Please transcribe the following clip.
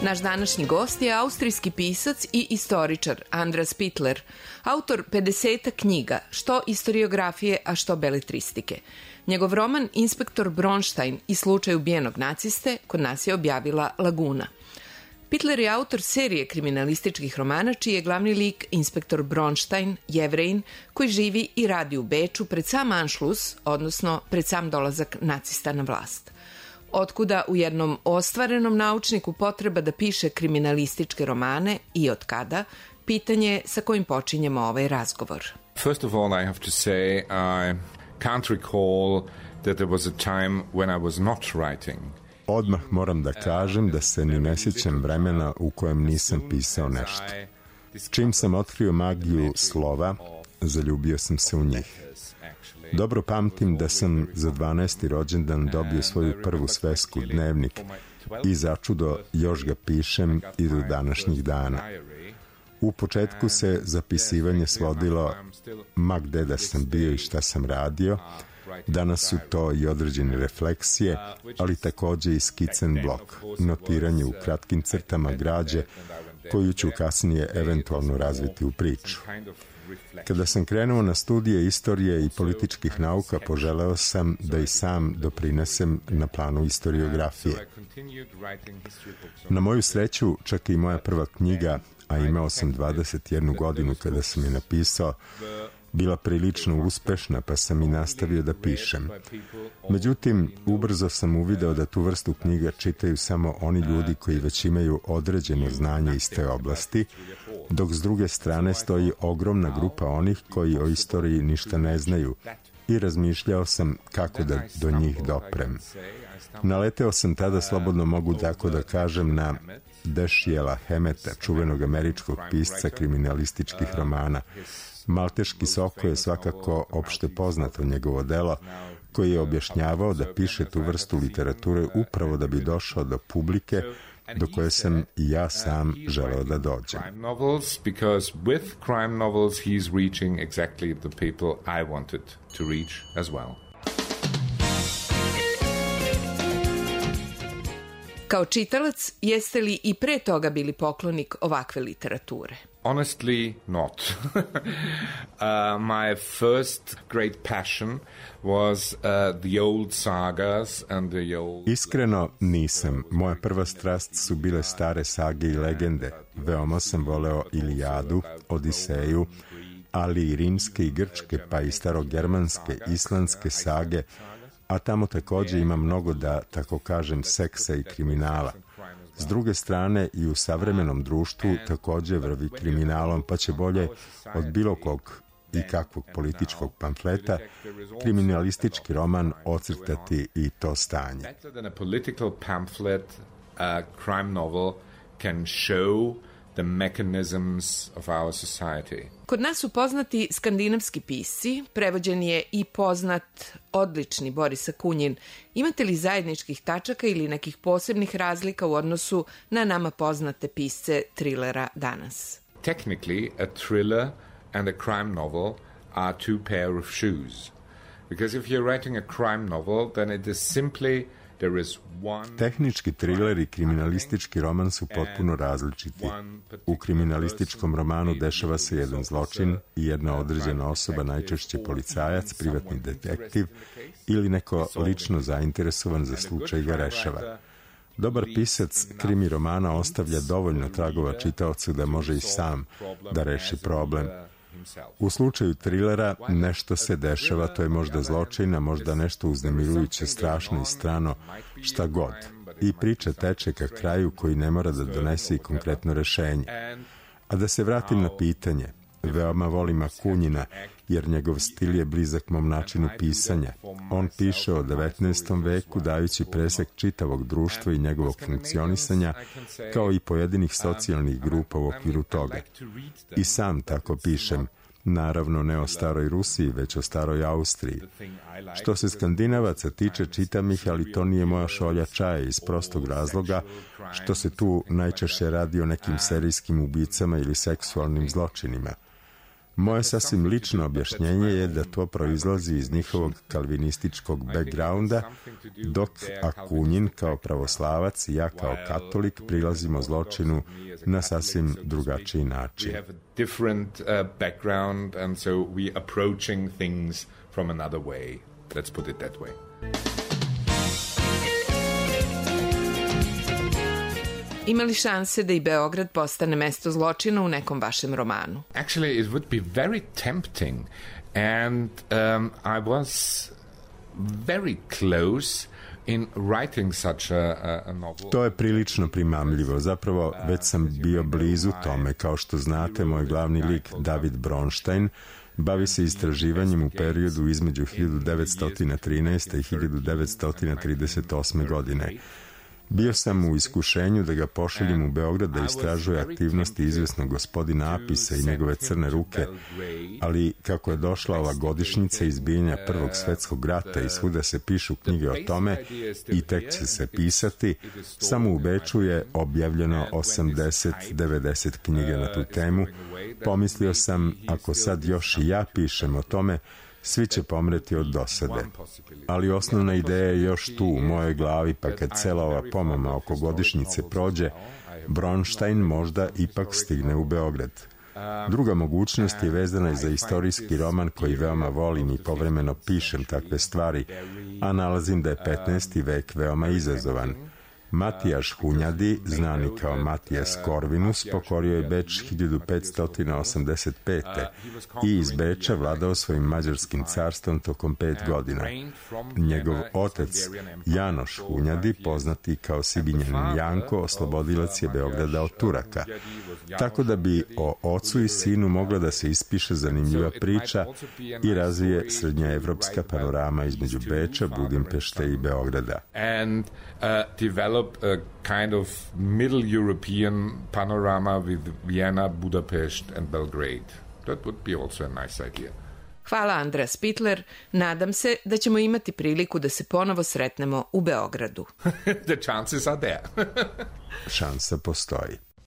Naš današnji gost je austrijski pisac i istoričar Andreas Pittler, autor 50 knjiga, što istoriografije, a što beletristike. Njegov roman Inspektor Bronstein i slučaj ubijenog naciste kod nas je objavila Laguna. Pittler je autor serije kriminalističkih romana čiji je glavni lik inspektor Bronstein, Jevrejin, koji živi i radi u Beču pred sam Anšlus, odnosno pred sam dolazak nacista na vlast. Otkuda u jednom ostvarenom naučniku potreba da piše kriminalističke romane i od kada, pitanje sa kojim počinjemo ovaj razgovor. First of all, I have to say I can't recall that there was a time when I was not writing. Odmah moram da kažem da se ni ne sjećam vremena u kojem nisam pisao nešto. Čim sam otkrio magiju slova, zaljubio sam se u njih. Dobro pamtim da sam za 12. rođendan dobio svoju prvu svesku, dnevnik, i začudo još ga pišem i do današnjih dana. U početku se zapisivanje svodilo ma gde da sam bio i šta sam radio. Danas su to i određene refleksije, ali takođe i skicen blok, notiranje u kratkim crtama građe, koju ću kasnije eventualno razviti u priču. Kada sam krenuo na studije istorije i političkih nauka, poželeo sam da i sam doprinesem na planu istoriografije. Na moju sreću, čak i moja prva knjiga, a imao sam 21 godinu kada sam je napisao, bila prilično uspešna, pa sam i nastavio da pišem. Međutim, ubrzo sam uvideo da tu vrstu knjiga čitaju samo oni ljudi koji već imaju određeno znanje iz te oblasti, dok s druge strane stoji ogromna grupa onih koji o istoriji ništa ne znaju, i razmišljao sam kako da do njih doprem. Naleteo sam tada, slobodno mogu tako da kažem, na Dashiela Hameta, čuvenog američkog pisca kriminalističkih romana. Malteški Soko je svakako opšte poznato njegovo delo, koji je objašnjavao da piše tu vrstu literature upravo da bi došao do publike do koje sam i ja sam želeo da dođem. Because with crime novels he's reaching exactly the people I wanted to reach as well. Kao čitalac, jeste li i pre toga bili poklonik ovakve literature? Honestly, not. My first great passion was the old sagas and the old... Iskreno nisam. Moja prva strast su bile stare sage i legende. Veoma sam voleo Ilijadu, Odiseju, ali i rimske i grčke, pa i starogermanske, islandske sage, a tamo takođe ima mnogo, da tako kažem, seksa i kriminala. S druge strane, i u savremenom društvu takođe vrvi kriminalom, pa će bolje od bilo kog i kakvog političkog pamfleta kriminalistički roman ocrtati i to stanje. Better than a political pamphlet, a crime novel can show the mechanisms of our society. Kod nas su poznati skandinavski pisci, prevođen je i poznat odlični Boris Akunjin. Imate li zajedničkih tačaka ili nekih posebnih razlika u odnosu na nama poznate pisce trilera danas? Technically, a thriller and a crime novel are two pair of shoes. Because if you're writing a crime novel, then it is simply there is one... Tehnički triler i kriminalistički roman su potpuno različiti. U kriminalističkom romanu dešava se jedan zločin i jedna određena osoba, najčešće policajac, privatni detektiv ili neko lično zainteresovan za slučaj ga rešava. Dobar pisac krimi romana ostavlja dovoljno tragova čitaocu da može i sam da reši problem. U slučaju trilera nešto se dešava, to je možda zločin, a možda nešto uznemirujuće, strašno i strano, šta god. I priča teče ka kraju koji ne mora da donese i konkretno rešenje. A da se vratim na pitanje, veoma volim Akunjina, jer njegov stil je blizak mom načinu pisanja. On piše o 19. veku, dajući presek čitavog društva i njegovog funkcionisanja, kao i pojedinih socijalnih grupa u okviru toga. I sam tako pišem, naravno ne o staroj Rusiji, već o staroj Austriji. Što se Skandinavaca tiče, čitam ih, ali to nije moja šolja čaja iz prostog razloga što se tu najčešće radi o nekim serijskim ubicama ili seksualnim zločinima. Moje sasvim lično objašnjenje je da to proizlazi iz njihovog kalvinističkog backgrounda, dok Akunjin kao pravoslavac i ja kao katolik prilazimo zločinu na sasvim drugačiji način. Ima li šanse da i Beograd postane mesto zločina u nekom vašem romanu? Actually, it would be very tempting, and I was very close in writing such a novel. To je prilično primamljivo. Zapravo, već sam bio blizu tome. Kao što znate, moj glavni lik, David Bronstein, bavi se istraživanjem u periodu između 1913. i 1938. godine. Bio sam u iskušenju da ga pošaljem u Beograd da istražuje aktivnosti izvesnog gospodina Apisa i njegove crne ruke, ali kako je došla ova godišnjica izbijanja Prvog svetskog rata i svuda se pišu knjige o tome i tek će se pisati, samo u Beču je objavljeno 80-90 knjiga na tu temu. Pomislio sam, ako sad još i ja pišem o tome, svi će pomreti od dosade. Ali osnovna ideja je još tu u mojoj glavi, pa kad cela ova pomama oko godišnjice prođe, Bronstein možda ipak stigne u Beograd. Druga mogućnost je vezana za istorijski roman koji veoma volim i povremeno pišem takve stvari, a nalazim da je 15. vek veoma izazovan. Matijaš Hunjadi, znani kao Matijas Corvinus, pokorio je Beč 1585. i iz Beča vladao svojim mađarskim carstvom tokom 5 godina. Njegov otac, Janoš Hunjadi, poznati kao Sibinjanin Janko, oslobodilac je Beograda od Turaka. Tako da bi o ocu i sinu mogla da se ispiše zanimljiva priča i razvije srednjoevropska panorama između Beča, Budimpešte i Beograda. Develop a kind of Middle European panorama with Vienna, Budapest and Belgrade. That would be also a nice idea. Hvala, Andreas Spittler. Nadam se da ćemo imati priliku da se ponovo sretnemo u Beogradu. The chances are there. Šansa postoji.